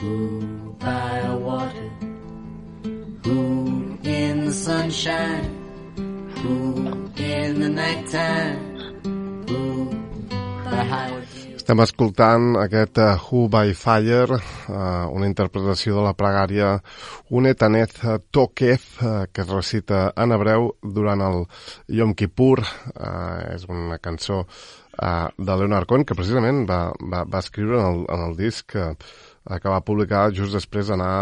Who by a water, who in the sunshine, who in the nighttime, who by highway. Estem escoltant aquest Who by Fire, una interpretació de la pregària Unetaneth Tokef, que es recita en hebreu durant el Yom Kippur. És una cançó de Leonard Cohen, que precisament va escriure en el disc que va publicar just després d'anar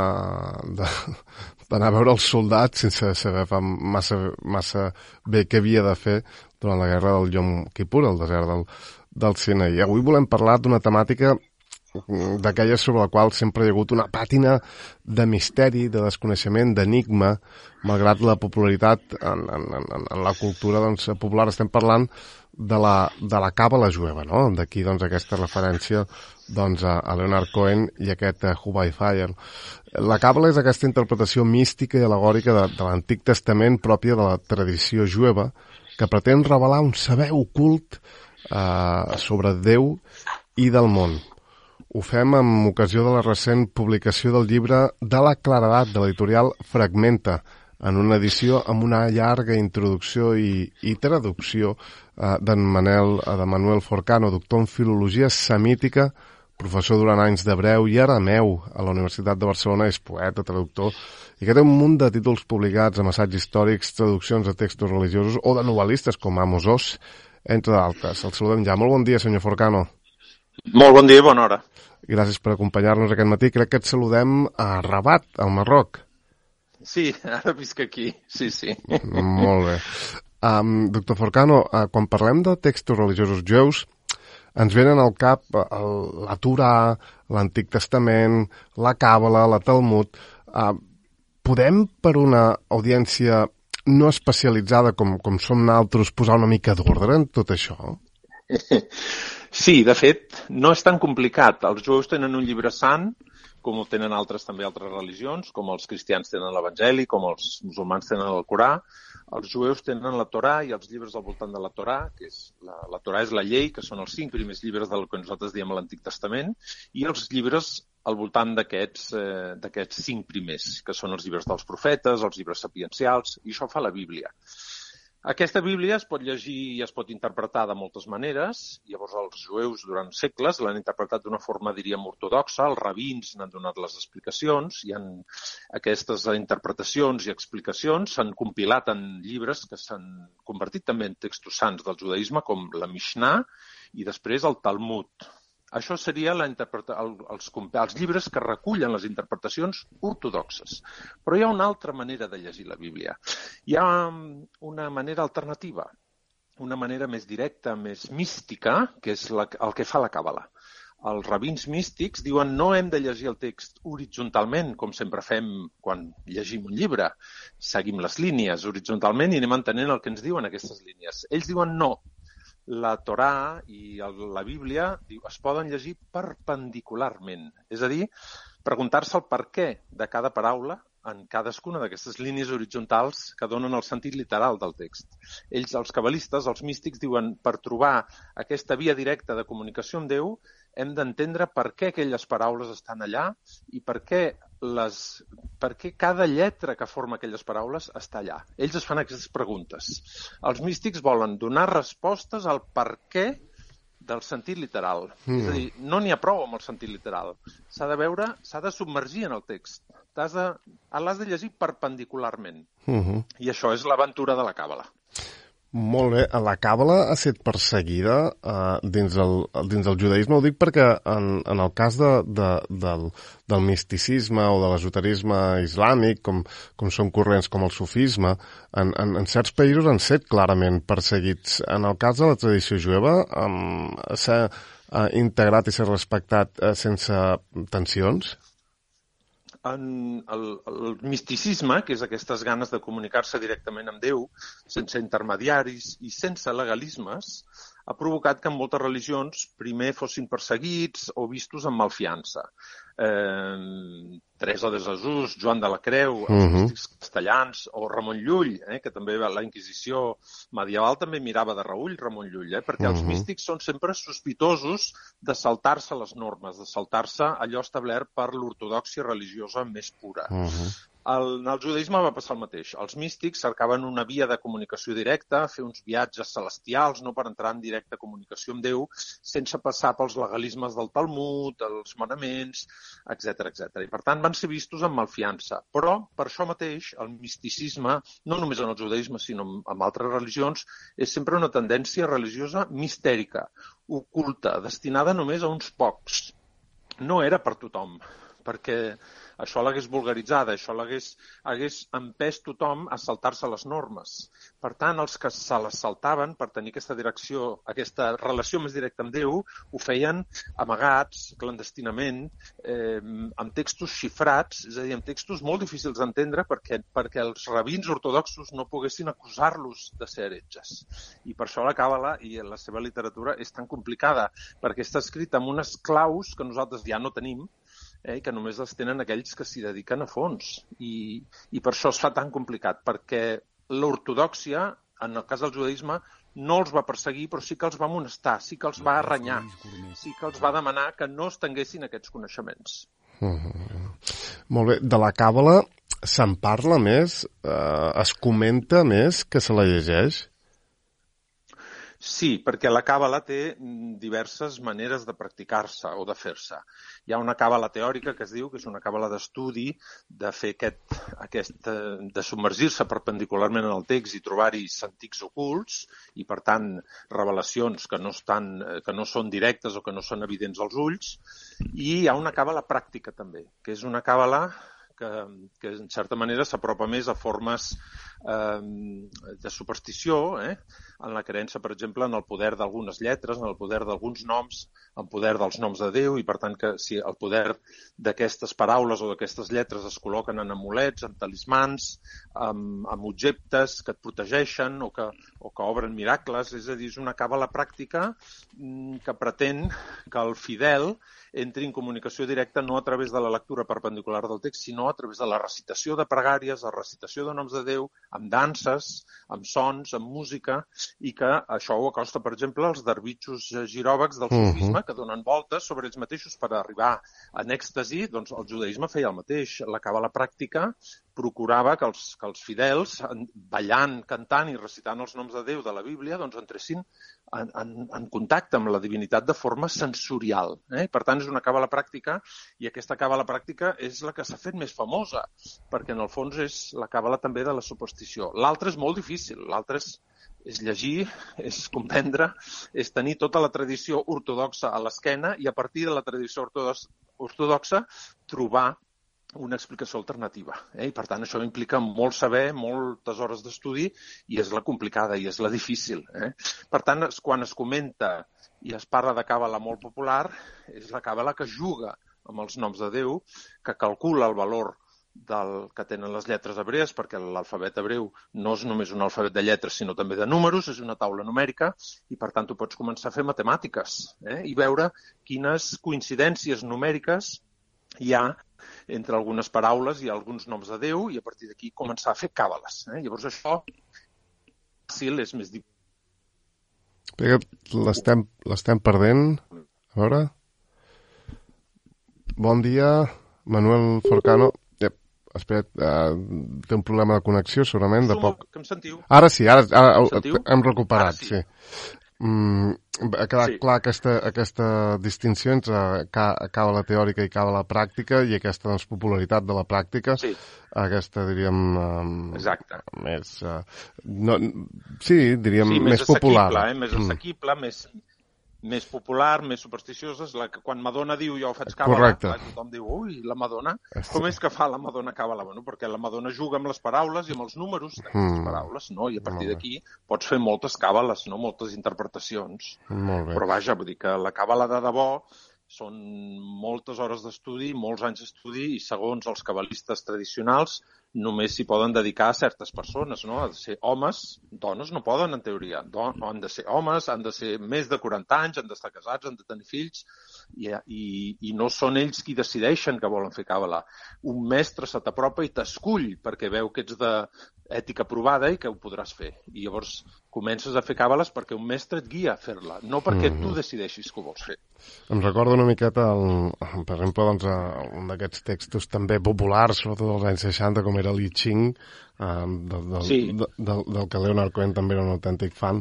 a veure els soldats sense saber massa bé què havia de fer durant la guerra del Yom Kippur, al desert del Sinaí. Avui volem parlar d'una temàtica d'aquelles sobre la qual sempre hi ha hagut una pàtina de misteri, de desconeixement, d'enigma, malgrat la popularitat en la cultura popular. Estem parlant de la càbala jueva, no? D'aquí aquesta referència a Leonard Cohen i aquest Who by Fire. La càbala és aquesta interpretació mística i al·legòrica de l'Antic Testament pròpia de la tradició jueva, que pretén revelar un saber ocult sobre Déu i del món. Ho fem amb ocasió de la recent publicació del llibre De la claredat, de l'editorial Fragmenta, en una edició amb una llarga introducció i traducció de Manuel Forcano, doctor en filologia semítica, professor durant anys d'hebreu i arameu a la Universitat de Barcelona, és poeta, traductor, i que té un munt de títols publicats amb assaigs històrics, traduccions de textos religiosos o de novel·listes com Amos Oz, entre d'altres. El saludem ja. Molt bon dia, senyor Forcano. Molt bon dia i bona hora. Gràcies per acompanyar-nos aquest matí. Crec que et saludem a Rabat, al Marroc. Sí, ara visc aquí. Sí. Molt bé. Doctor Forcano, quan parlem de textos religiosos jueus, ens venen al cap la Torà, l'Antic Testament, la Càbala, la Talmud. Podem, per una audiència no especialitzada com som nosaltres, posar una mica d'ordre en tot això? Sí, de fet, no és tan complicat. Els jueus tenen un llibre sant, com ho tenen altres religions, com els cristians tenen l'Evangeli, com els musulmans tenen el Corà. Els jueus tenen la Torà i els llibres al voltant de la Torà, que és la Torà és la llei, que són els 5 primers llibres del que nosaltres diem l'Antic Testament, i els llibres al voltant d'aquests 5 primers, que són els llibres dels profetes, els llibres sapiencials, i això fa la Bíblia. Aquesta Bíblia es pot llegir i es pot interpretar de moltes maneres. Llavors els jueus durant segles l'han interpretat d'una forma, diríem, ortodoxa. Els rabins n'han donat les explicacions. Aquestes interpretacions i explicacions s'han compilat en llibres que s'han convertit també en textos sants del judaïsme, com la Mishnah i després el Talmud. Això seria els llibres que recullen les interpretacions ortodoxes. Però hi ha una altra manera de llegir la Bíblia. Hi ha una manera alternativa, una manera més directa, més mística, que és el que fa la Càbala. Els rabins místics diuen no hem de llegir el text horitzontalment, com sempre fem quan llegim un llibre. Seguim les línies horitzontalment i anem entenent el que ens diuen aquestes línies. Ells diuen no. La Torà i la Bíblia es poden llegir perpendicularment, és a dir, preguntar-se el perquè de cada paraula en cadascuna d'aquestes línies horitzontals que donen el sentit literal del text. Ells, els cabalistes, els místics, diuen per trobar aquesta via directa de comunicació amb Déu hem d'entendre per què aquelles paraules estan allà i per què cada lletra que forma aquelles paraules està allà. Ells es fan aquestes preguntes. Els místics volen donar respostes al per què del sentit literal. És a dir, no n'hi ha prou amb el sentit literal. S'ha de submergir en el text. L'has de llegir perpendicularment. I això és l'aventura de la Càbala. Molt bé. La Càbala ha estat perseguida dins del judaïsme. Ho dic perquè en el cas del misticisme o de l'esoterisme islàmic, com són corrents com el sufisme, en certs països han estat clarament perseguits. En el cas de la tradició jueva s'ha integrat i s'ha respectat sense tensions? El misticisme, que és aquestes ganes de comunicar-se directament amb Déu, sense intermediaris i sense legalismes, ha provocat que en moltes religions primer fossin perseguits o vistos amb malfiança. Teresa de Jesús, Joan de la Creu, els místics castellans, o Ramon Llull, que també la Inquisició medieval també mirava de reüll Ramon Llull, perquè els místics són sempre sospitosos de saltar-se les normes, de saltar-se allò establert per l'ortodòxia religiosa més pura. En el judaïsme va passar el mateix. Els místics cercaven una via de comunicació directa, fer uns viatges celestials, no per entrar en directa comunicació amb Déu, sense passar pels legalismes del Talmud, els manaments, etc. I per tant van ser vistos amb malfiança. Però, per això mateix, el misticisme, no només en el judaïsme, sinó en altres religions, és sempre una tendència religiosa mistèrica, oculta, destinada només a uns pocs. No era per tothom, perquè això l'hagués vulgaritzada, això hagués empès tothom a saltar-se les normes. Per tant, els que se les saltaven per tenir aquesta direcció, aquesta relació més directa amb Déu, ho feien amagats, clandestinament, amb textos xifrats, és a dir, amb textos molt difícils d'entendre perquè els rabins ortodoxos no poguessin acusar-los de ser heretges. I per això la Càbala i la seva literatura és tan complicada, perquè està escrita amb unes claus que nosaltres ja no tenim, que només les tenen aquells que s'hi dediquen a fons. I per això es fa tan complicat, perquè l'ortodòxia, en el cas del judaïsme, no els va perseguir, però sí que els va amonestar, sí que els va arrenyar, sí que els va demanar que no estenguessin aquests coneixements. Molt bé. De la Càbala se'n parla més? Es comenta més que se la llegeix? Sí, perquè la càbala té diverses maneres de practicar-se o de fer-se. Hi ha una càbala teòrica que es diu que és una càbala d'estudi, de fer de submergir-se perpendicularment en el text i trobar-hi sentics ocults i, per tant, revelacions que no són directes o que no són evidents als ulls. I hi ha una càbala pràctica també, que és una càbala que en certa manera s'apropa més a formes de superstició, en la creença, per exemple, en el poder d'algunes lletres, en el poder d'alguns noms, en poder dels noms de Déu, i per tant que si el poder d'aquestes paraules o d'aquestes lletres es col·loquen en amulets, en talismans, amb objectes que et protegeixen o que obren miracles, és a dir, és una càbala pràctica que pretén que el fidel entri en comunicació directa no a través de la lectura perpendicular del text, sinó a través de la recitació de pregàries, la recitació de noms de Déu, amb danses, amb sons, amb música, i que això ho acosta, per exemple, als derbitxos giròvags del sufisme, que donen voltes sobre ells mateixos per arribar en èxtasi. Doncs el judaïsme feia el mateix. La càbala pràctica procurava que els fidels, ballant, cantant i recitant els noms de Déu de la Bíblia, doncs entressin en contacte amb la divinitat de forma sensorial. Per tant, és una càbala pràctica, i aquesta càbala pràctica és la que s'ha fet més famosa, perquè en el fons és la càbala també de la superstició. L'altra és molt difícil, l'altra és llegir, és comprendre, és tenir tota la tradició ortodoxa a l'esquena i a partir de la tradició ortodoxa trobar una explicació alternativa. I per tant això implica molt saber, moltes hores d'estudi, i és la complicada i és la difícil. Per tant, quan es comenta i es parla de càbala molt popular, és la càbala que juga amb els noms de Déu, que calcula el valor que tenen les lletres hebrees, perquè l'alfabet hebreu no és només un alfabet de lletres, sinó també de números, és una taula numèrica, i per tant tu pots començar a fer matemàtiques i veure quines coincidències numèriques hi ha entre algunes paraules i alguns noms de Déu, i a partir d'aquí començar a fer càbales. Llavors això fàcil és més difícil. L'estem perdent. A veure... Bon dia, Manuel Forcano. Espera't, té un problema de connexió, segurament, de poc... Que em sentiu? Ara sí, ara hem recuperat, sí. Ha quedat clar aquesta distinció entre càbala teòrica i càbala pràctica, i aquesta popularitat de la pràctica, aquesta, diríem... Exacte. Més... diríem, més popular. Més assequible, més popular, més supersticiosa, és la que quan Madonna diu jo faig càbala, tothom diu, ui, la Madonna, com és que fa la Madonna càbala? Bueno, perquè la Madonna juga amb les paraules i amb els números d'aquestes paraules, no? I a partir d'aquí pots fer moltes càbales, no? Moltes interpretacions. Molt bé. Però vaja, vull dir que la càbala de debò Són moltes hores d'estudi, molts anys d'estudi, i segons els cabalistes tradicionals només s'hi poden dedicar a certes persones, no? Han de ser homes, dones no poden, en teoria. Han de ser homes, han de ser més de 40 anys, han d'estar casats, han de tenir fills, i no són ells qui decideixen que volen fer càbala. Un mestre se t'apropa i t'escull perquè veu que ets d'ètica provada i que ho podràs fer. I llavors comences a fer càbales perquè un mestre et guia a fer-la, no perquè tu decideixis que ho vols fer. Em recordo una miqueta, per exemple, doncs, un d'aquests textos també populars, sobretot dels anys 60, com era l'I Ching, del que Leonard Cohen també era un autèntic fan.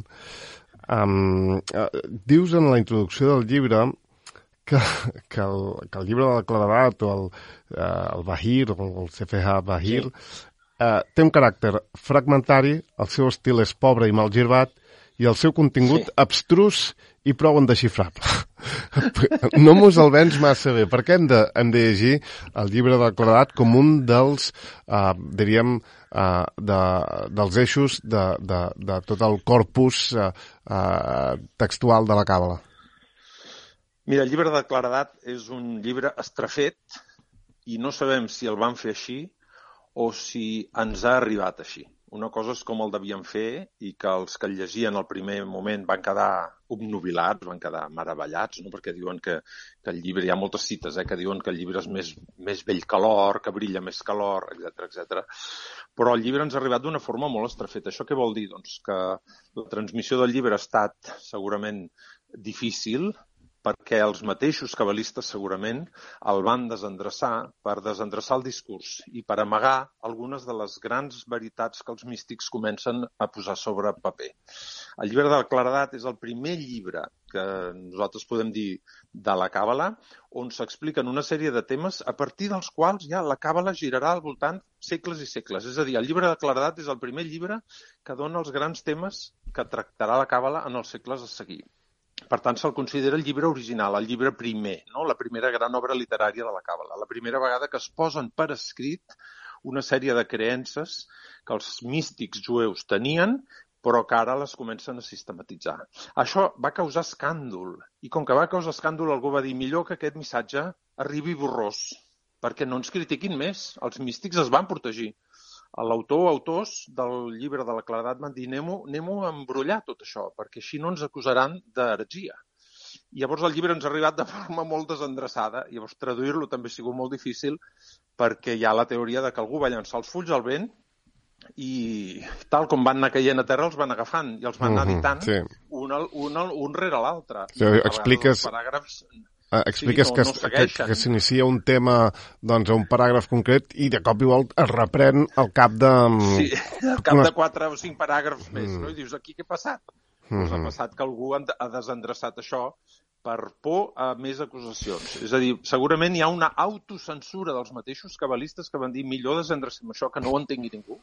Dius en la introducció del llibre que el llibre de la claredat o el Bahir, o el CFH Bahir, té un caràcter fragmentari, el seu estil és pobre i mal girbat, i el seu contingut abstrus i prou indexifrable. No mos el vens massa bé. Per què hem de llegir el llibre de la claredat com un dels, diríem, dels eixos de tot el corpus textual de la càbala? Mira, el llibre de claredat és un llibre estrafet i no sabem si el van fer així o si ens ha arribat així. Una cosa és com el devien fer i que els que el llegien al primer moment van quedar obnubilats, van quedar meravellats, no? Perquè diuen que el llibre, hi ha moltes cites que diuen que el llibre és més vell que l'or, que brilla més que l'or, etc. Però el llibre ens ha arribat d'una forma molt estrafeta. Això què vol dir? Doncs que la transmissió del llibre ha estat segurament difícil, perquè els mateixos cabalistes segurament el van desendreçar per desendreçar el discurs i per amagar algunes de les grans veritats que els místics comencen a posar sobre paper. El llibre de la claredat és el primer llibre que nosaltres podem dir de la càbala on s'expliquen una sèrie de temes a partir dels quals ja la càbala girarà al voltant segles i segles. És a dir, el llibre de la claredat és el primer llibre que dona els grans temes que tractarà la càbala en els segles a seguir. Per tant, se'l considera el llibre original, el llibre primer, no? La primera gran obra literària de la càbala, la primera vegada que es posen per escrit una sèrie de creences que els místics jueus tenien, però que ara les comencen a sistematitzar. Això va causar escàndol, i com que va causar escàndol, algú va dir millor que aquest missatge arribi borrós, perquè no ens critiquin més, els místics es van protegir. L'autor o autors del llibre de la claredat van dir anem-ho a embrollar tot això, perquè així no ens acusaran d'heretgia. I llavors el llibre ens ha arribat de forma molt desendreçada, i llavors traduir-lo també ha sigut molt difícil perquè hi ha la teoria de que algú va llançar els fulls al vent i tal com van anar caient a terra els van agafant i els van anar editant un rere l'altre. Expliques... Expliques que s'inicia un tema doncs, a un paràgraf concret i de cop i volta es reprèn al cap de... Sí, al cap de 4 o 5 paràgrafs més, no? I dius, aquí què ha passat? Doncs ha passat que algú ha desendreçat això per por a més acusacions. És a dir, segurament hi ha una autocensura dels mateixos cabalistes que van dir millor desendrecem això que no ho entengui ningú,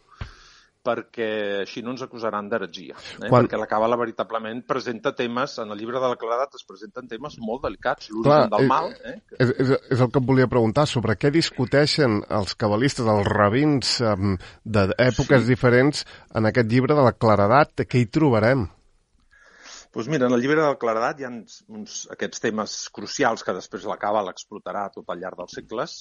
perquè així no ens acusaran d'heretgia. Perquè la càbala veritablement presenta temes, en el llibre de la claredat es presenten temes molt delicats, l'origen del mal. És el que em volia preguntar, sobre què discuteixen els cabalistes, els rabins d'èpoques diferents en aquest llibre de la claredat, què hi trobarem? Doncs mira, en el llibre de la claredat hi ha aquests temes crucials que després la càbala explotarà tot al llarg dels segles,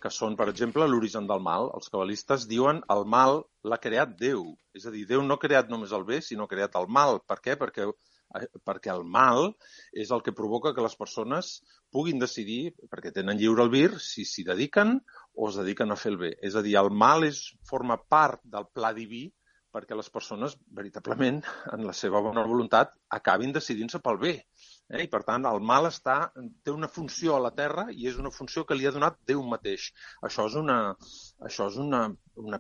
que són, per exemple, l'origen del mal. Els cabalistes diuen el mal l'ha creat Déu. És a dir, Déu no ha creat només el bé, sinó ha creat el mal. Per què? Perquè el mal és el que provoca que les persones puguin decidir, perquè tenen lliure albir, si s'hi dediquen o es dediquen a fer el bé. És a dir, el mal forma part del pla diví perquè les persones, veritablement, en la seva bona voluntat, acabin decidint-se pel bé. I, per tant, el mal té una funció a la Terra i és una funció que li ha donat Déu mateix. Això és una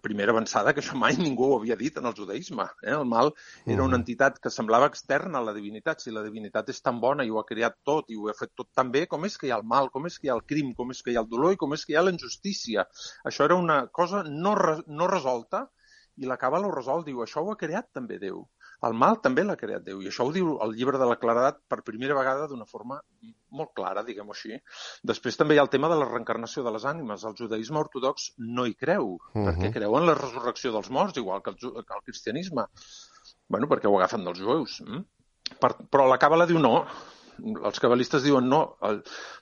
primera avançada que això mai ningú ho havia dit en el judaïsme. El mal era una entitat que semblava externa a la divinitat. Si la divinitat és tan bona i ho ha creat tot i ho ha fet tot tan bé, com és que hi ha el mal, com és que hi ha el crim, com és que hi ha el dolor i com és que hi ha la injustícia? Això era una cosa no resolta. I la càbala ho resol, diu, això ho ha creat també Déu. El mal també l'ha creat Déu. I això ho diu el llibre de la claredat per primera vegada d'una forma molt clara, diguem-ho així. Després també hi ha el tema de la reencarnació de les ànimes. El judaïsme ortodox no hi creu, perquè creu en la resurrecció dels morts, igual que el cristianisme. Perquè ho agafen dels jueus. Però la càbala diu no. els cabalistes diuen no,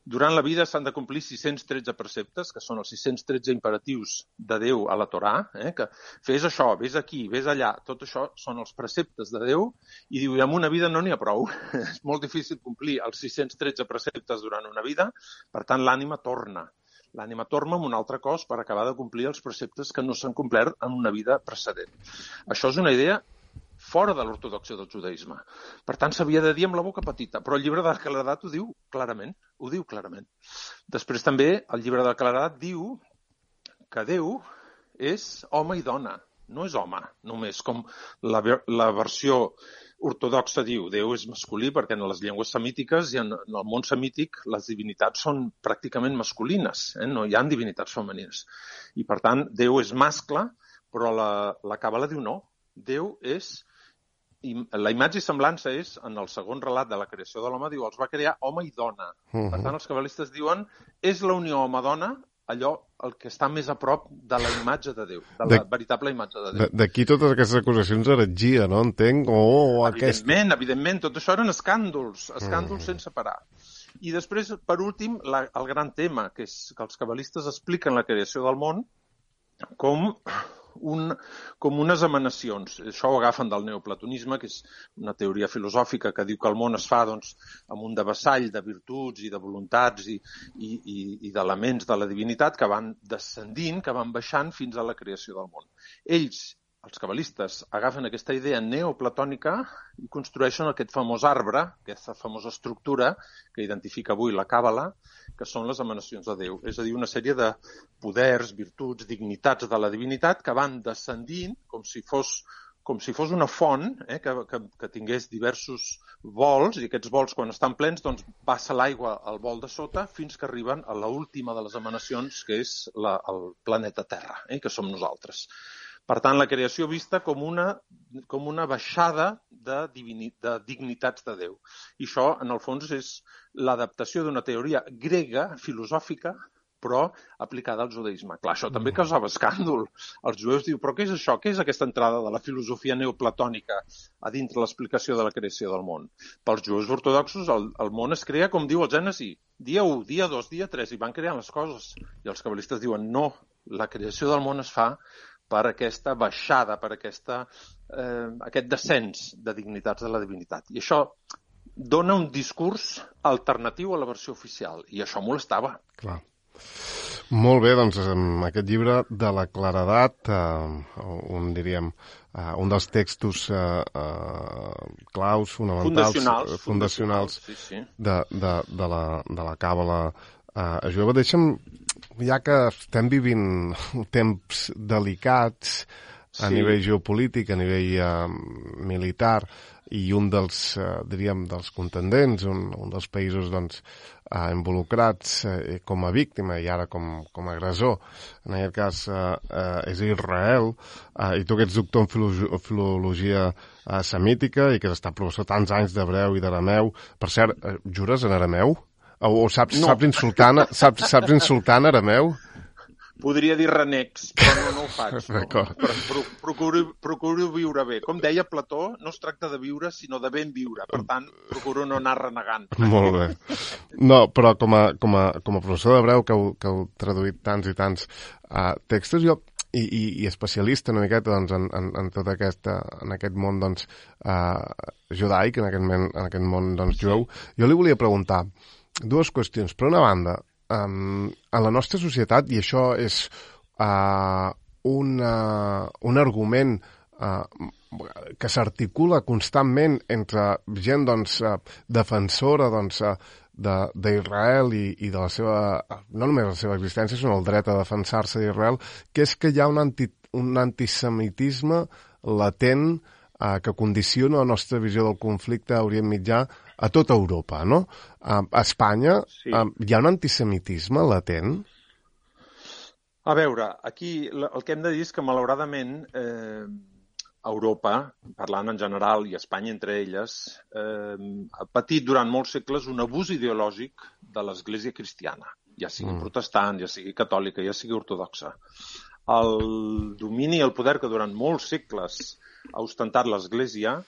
durant la vida s'han de complir 613 preceptes, que són els 613 imperatius de Déu a la Torà, que fes això, vés aquí, vés allà, tot això són els preceptes de Déu, i diu, amb una vida no n'hi ha prou. És molt difícil complir els 613 preceptes durant una vida, per tant l'ànima torna. L'ànima torna amb un altre cos per acabar de complir els preceptes que no s'han complert en una vida precedent. Això és una idea fora de l'ortodoxia del judaïsme. Per tant, s'havia de dir amb la boca petita, però el llibre de Claredat ho diu clarament. Després també el llibre de Claredat diu que Déu és home i dona, no és home només, com la versió ortodoxa diu. Déu és masculí perquè en les llengües semítiques i en el món semític les divinitats són pràcticament masculines, no hi ha divinitats femenines. I per tant, Déu és mascle, però la Càbala diu no. Déu és... La imatge i semblança és, en el segon relat de la creació de l'home, diu, els va crear home i dona. Per tant, els cabalistes diuen, és la unió home-dona allò el que està més a prop de la imatge de Déu, de la veritable imatge de Déu. D'aquí totes aquestes acusacions d'heretgia, no? Entenc? Evidentment, tot això eren escàndols sense parar. I després, per últim, el gran tema, que és que els cabalistes expliquen la creació del món com unes emanacions. Això ho agafen del neoplatonisme, que és una teoria filosòfica que diu que el món es fa amb un devessall de virtuts i de voluntats i d'elements de la divinitat que van descendint, que van baixant fins a la creació del món. Ells, els cabalistes, agafen aquesta idea neoplatònica i construeixen aquest famós arbre, aquesta famosa estructura que identifica avui la Càbala, que són les emanacions de Déu. És a dir, una sèrie de poders, virtuts, dignitats de la divinitat que van descendint com si fos una font que tingués diversos vols, i aquests vols, quan estan plens, doncs passa l'aigua al vol de sota fins que arriben a l'última de les emanacions, que és el planeta Terra, que som nosaltres. Per tant, la creació vista com una baixada de dignitats de Déu. I això, en el fons, és l'adaptació d'una teoria grega, filosòfica, però aplicada al judaïsme. Clar, això també causava escàndol. Els jueus diuen, però què és això? Què és aquesta entrada de la filosofia neoplatònica a dintre l'explicació de la creació del món? Pels jueus ortodoxos, el món es crea, com diu el Gènesi, dia 1, dia 2, dia 3, i van creant les coses. I els cabalistes diuen, no, la creació del món es fa per aquesta baixada, per aquest descens de dignitats de la divinitat. I això dona un discurs alternatiu a la versió oficial, i això molestava. Clar. Molt bé, doncs amb aquest llibre de la Claredat, un dels textos claus, fonamentals, fundacionals de la Càbala jueva. Deixa'm, ja que estem vivint temps delicats a nivell geopolític, a nivell militar, i un dels, dels contendents, un dels països involucrats com a víctima i ara com a agressor, en aquest cas és Israel, i tu que ets doctor en filologia semítica i que has estat professor tants anys d'hebreu i d'arameu, per cert, jures en arameu? O saps insultar en arameu? Podria dir renecs, però no ho faig. Però procuro viure bé. Com deia Plató, no es tracta de viure, sinó de ben viure. Per tant, procuro no anar renegant. Molt bé. No, però com a professor d'hebreu, que heu traduït tants i tants textos, jo, i especialista una miqueta en tot aquest món judaic, en aquest món jueu, jo li volia preguntar dues qüestions. Per una banda, a la nostra societat, i això és un argument que s'articula constantment entre gent defensora d'Israel i de la seva, no només la seva existència, sinó el dret a defensar-se d'Israel, que és que hi ha un antisemitisme latent que condiciona la nostra visió del conflicte a Orient Mitjà a tota Europa, no? A Espanya hi ha un antisemitisme latent? A veure, aquí el que hem de dir és que, malauradament, Europa, parlant en general, i Espanya entre elles, ha patit durant molts segles un abús ideològic de l'Església cristiana, ja sigui protestant, ja sigui catòlica, ja sigui ortodoxa. El domini i el poder que durant molts segles ha ostentat l'Església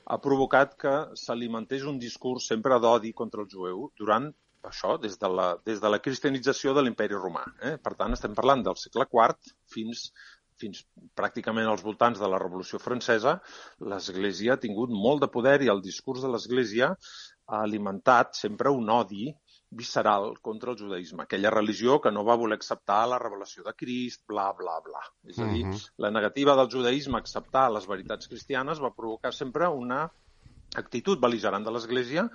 ha provocat que s'alimentés un discurs sempre d'odi contra el jueu durant això, des de la cristianització de l'imperi romà. Per tant, estem parlant del segle IV fins pràcticament als voltants de la Revolució Francesa. L'Església ha tingut molt de poder i el discurs de l'Església ha alimentat sempre un odi visceral contra el judaïsme, aquella religió que no va voler acceptar la revelació de Crist, bla, bla, bla. És a dir, la negativa del judaïsme a acceptar les veritats cristianes va provocar sempre una actitud bel·ligerant de l'Església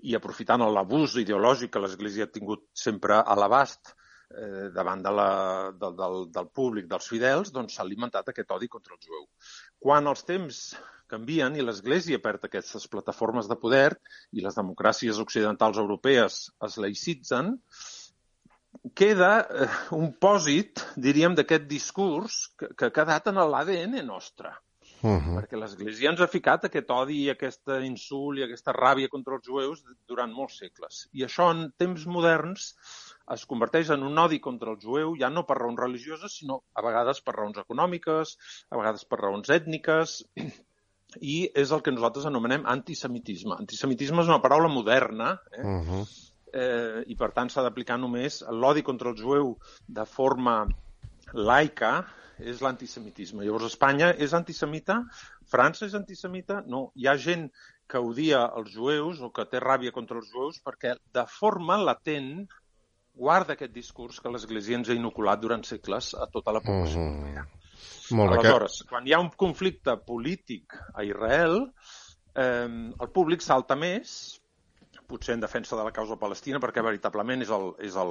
i aprofitant l'abús ideològic que l'Església ha tingut sempre a l'abast davant del públic, dels fidels, doncs s'ha alimentat aquest odi contra el jueu. Quan els temps canvien i l'Església perd aquestes plataformes de poder i les democràcies occidentals europees es laïcitzen, queda un pòsit, diríem, d'aquest discurs que ha quedat en l'ADN nostre. Perquè l'Església ens ha ficat aquest odi, aquest insult i aquesta ràbia contra els jueus durant molts segles. I això en temps moderns es converteix en un odi contra el jueu ja no per raons religioses, sinó a vegades per raons econòmiques, a vegades per raons ètniques, i és el que nosaltres anomenem antisemitisme. Antisemitisme és una paraula moderna, i per tant s'ha d'aplicar només l'odi contra el jueu de forma laica, és l'antisemitisme. Llavors, Espanya és antisemita? França és antisemita? No. Hi ha gent que odia els jueus o que té ràbia contra els jueus perquè de forma latent guarda aquest discurs que l'Església ens ha inoculat durant segles a tota la població europea. Aleshores, quan hi ha un conflicte polític a Israel, el públic salta més, potser en defensa de la causa palestina, perquè veritablement és el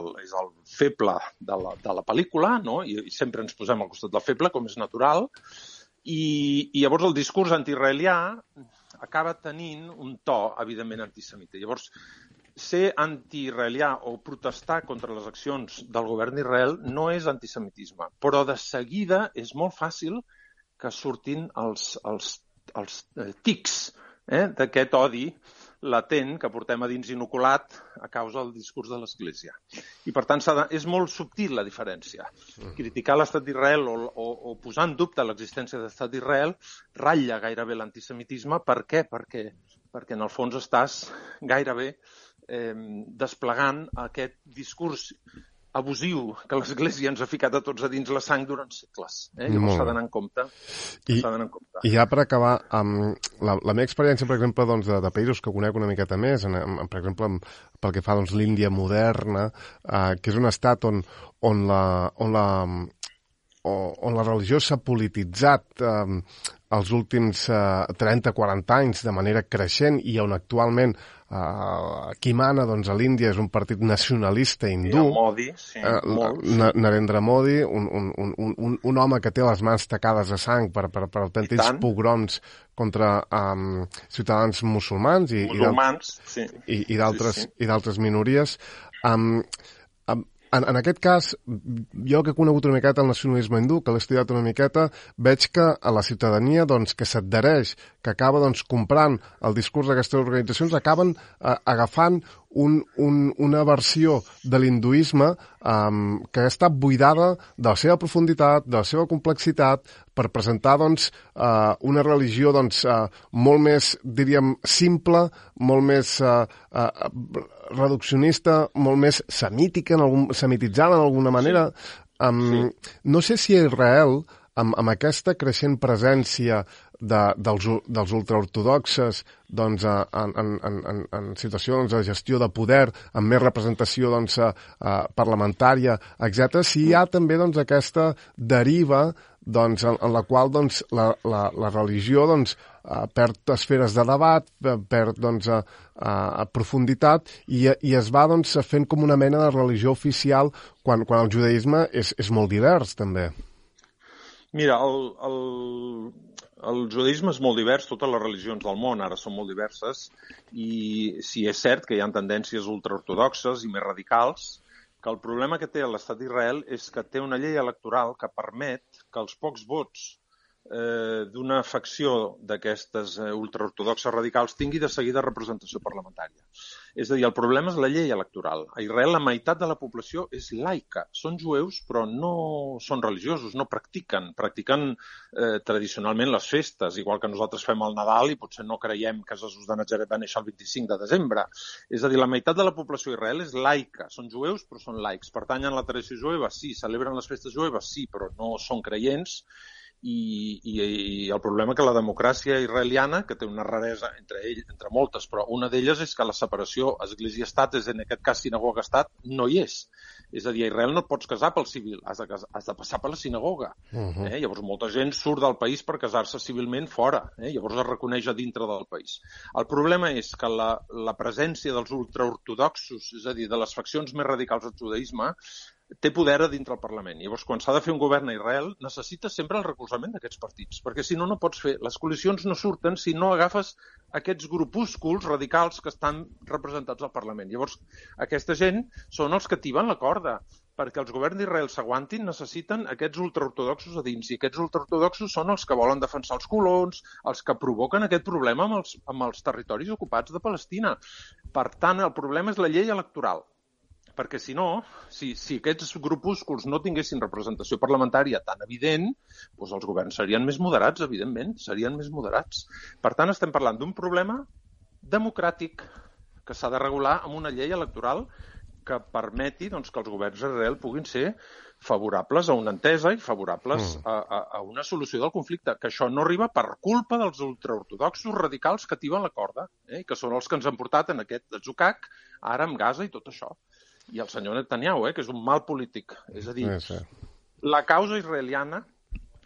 feble de la pel·lícula, no? I sempre ens posem al costat del feble, com és natural, i llavors el discurs antiisraelià acaba tenint un to, evidentment, antisemita. Llavors, ser antiisraelià o protestar contra les accions del govern d'Israel no és antisemitisme, però de seguida és molt fàcil que surtin els tics d'aquest odi latent que portem a dins inoculat a causa del discurs de l'Església. I, per tant, és molt subtil la diferència. Criticar l'estat d'Israel o posar en dubte l'existència de l'estat d'Israel ratlla gairebé l'antisemitisme. Per què? Perquè en el fons estàs gairebé desplegant aquest discurs abusiu que l'Església ens ha ficat a tots a dins la sang durant segles. Llavors s'ha d'anar en compte. I ja per acabar, la meva experiència, per exemple, doncs, de països que conec una miqueta més, per exemple, pel que fa a l'Índia moderna, que és un estat on la religió s'ha polititzat els últims 30-40 anys de manera creixent i on actualment qui mana doncs, a l'Índia és un partit nacionalista hindú. Modi, sí. Narendra Modi, un home que té les mans tacades de sang per autèntics pogroms contra ciutadans musulmans i d'altres minories. En aquest cas, jo que he conegut una miqueta el nacionalisme hindú, que l'he estudiat una miqueta, veig que a la ciutadania que s'adhereix, que acaba comprant el discurs d'aquestes organitzacions, acaben agafant una versió de l'hinduisme que ha estat buidada de la seva profunditat, de la seva complexitat, per presentar una religió molt més, diríem, simple, molt més reduccionista, molt més semititzada d'alguna manera. No sé si a Israel, amb aquesta creixent presència dels ultraortodoxes en situacions de gestió de poder, amb més representació parlamentària, etc., si hi ha també aquesta deriva en la qual la religió perd esferes de debat, perd profunditat i es va fent com una mena de religió oficial quan el judaïsme és molt divers també. Mira, el judaïsme és molt divers, totes les religions del món ara són molt diverses i sí, és cert que hi ha tendències ultraortodoxes i més radicals, que el problema que té l'estat d'Israel és que té una llei electoral que permet que els pocs vots d'una facció d'aquestes ultraortodoxes radicals tingui de seguida representació parlamentària. És a dir, el problema és la llei electoral. A Israel la meitat de la població és laica. Són jueus, però no són religiosos, no practiquen. Practiquen tradicionalment les festes, igual que nosaltres fem el Nadal i potser no creiem que Jesús de Natzaret va néixer el 25 de desembre. És a dir, la meitat de la població d'Israel és laica. Són jueus, però són laics. Pertanyen a la tradició jueva, sí. Celebren les festes jueves, sí, però no són creients. I el problema que la democràcia israeliana, que té una raresa entre moltes, però una d'elles és que la separació església-estat, és en aquest cas sinagoga-estat, no hi és. És a dir, a Israel no et pots casar pel civil, has de passar per la sinagoga. Llavors molta gent surt del país per casar-se civilment fora, llavors es reconeix a dintre del país. El problema és que la presència dels ultraortodoxos, és a dir, de les faccions més radicals del judaïsme, té poder a dintre el Parlament. Llavors, quan s'ha de fer un govern a Israel, necessites sempre el recolzament d'aquests partits, perquè si no, no pots fer. Les coalicions no surten si no agafes aquests grupúsculs radicals que estan representats al Parlament. Llavors, aquesta gent són els que tiben la corda. Perquè els governs d'Israel s'aguantin, necessiten aquests ultraortodoxos a dins. I aquests ultraortodoxos són els que volen defensar els colons, els que provoquen aquest problema amb els territoris ocupats de Palestina. Per tant, el problema és la llei electoral. Perquè si no, si aquests grupúsculs no tinguessin representació parlamentària tan evident, doncs els governs serien més moderats, evidentment, serien més moderats. Per tant, estem parlant d'un problema democràtic que s'ha de regular amb una llei electoral que permeti que els governs d'Israel puguin ser favorables a una entesa i favorables a una solució del conflicte, que això no arriba per culpa dels ultraortodoxos radicals que tiben la corda, que són els que ens han portat en aquest atzucac, ara amb Gaza i tot això. I el senyor Netanyahu, que és un mal polític. És a dir, la causa israeliana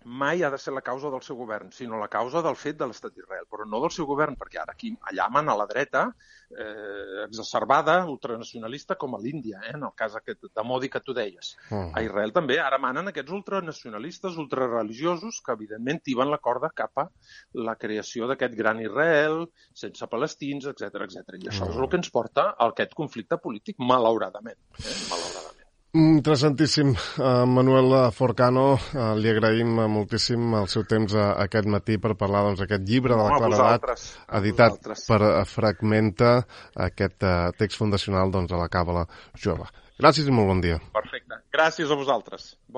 mai ha de ser la causa del seu govern, sinó la causa del fet de l'estat d'Israel, però no del seu govern, perquè ara aquí allà mana la dreta exacerbada, ultranacionalista, com a l'Índia, en el cas aquest de Modi que tu deies. A Israel també ara manen aquests ultranacionalistes, ultrareligiosos, que evidentment tiben la corda cap a la creació d'aquest gran Israel, sense palestins, etc. I això és el que ens porta a aquest conflicte polític, malauradament. Malauradament. Interessantíssim. Manuel Forcano, li agraïm moltíssim el seu temps aquest matí per parlar d'aquest llibre de la claredat, editat per Fragmenta, aquest text fundacional de la Càbala jueva. Gràcies i molt bon dia. Perfecte. Gràcies a vosaltres.